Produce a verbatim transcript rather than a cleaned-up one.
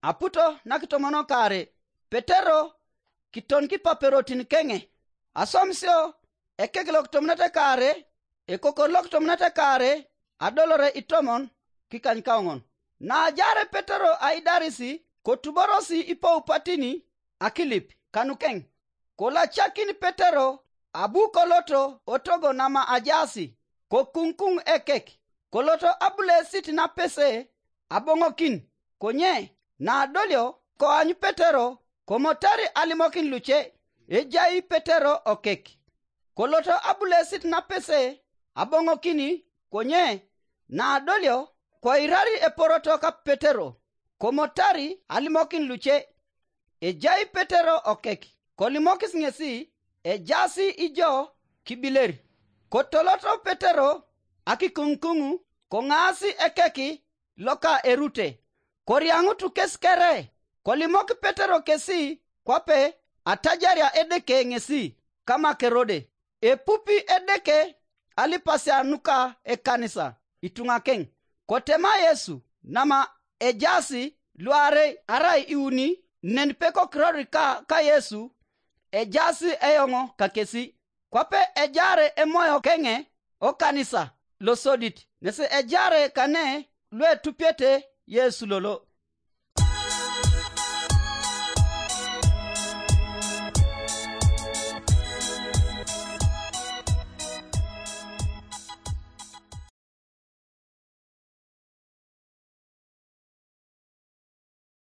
Aputo nakitomonokare, Petero kiton kipaperotin keŋe. Aswamisio ekek lokitomunete kaare, ekokor lokitomunete kaare, adolore itomon kikanykaoŋon. Naajaare Petero aidaris, kotuborosi ipoupatini akilip kanukeŋ. Kolacakin Petero abu koloto otogo nama ajaasi, kokuŋkuŋ ekek, koloto abulesit napese aboŋokin. Konye naadolio koany Petero, komotari alimokin luce, ejai Petero okek. Koloto abulesit napese aboŋokin, konye naadolio koirari eporoto ka Petero, komotari alimokin luce, ejai Petero okek. Kolimokis ŋesi, ejaas ijo kibiler. Kotoloto Petero akikuŋkuŋ, koŋaas ekek loka erute, koriaŋutu kes kere. Kolimok Petero kesi kwape atajaria Edeke ŋesi kama Kerode. Epupi Edeke alipasia nuka ekanisa ituŋakeŋ. Kotema Yesu nama ejaas luarei arai iuni, nen pekokirori ka, ka Yesu, ejaas eoŋ kakesi. Kwape ejaare emoyo keŋe okanisa losodit, nesi ejaare kane luetupiete Yesu lolo.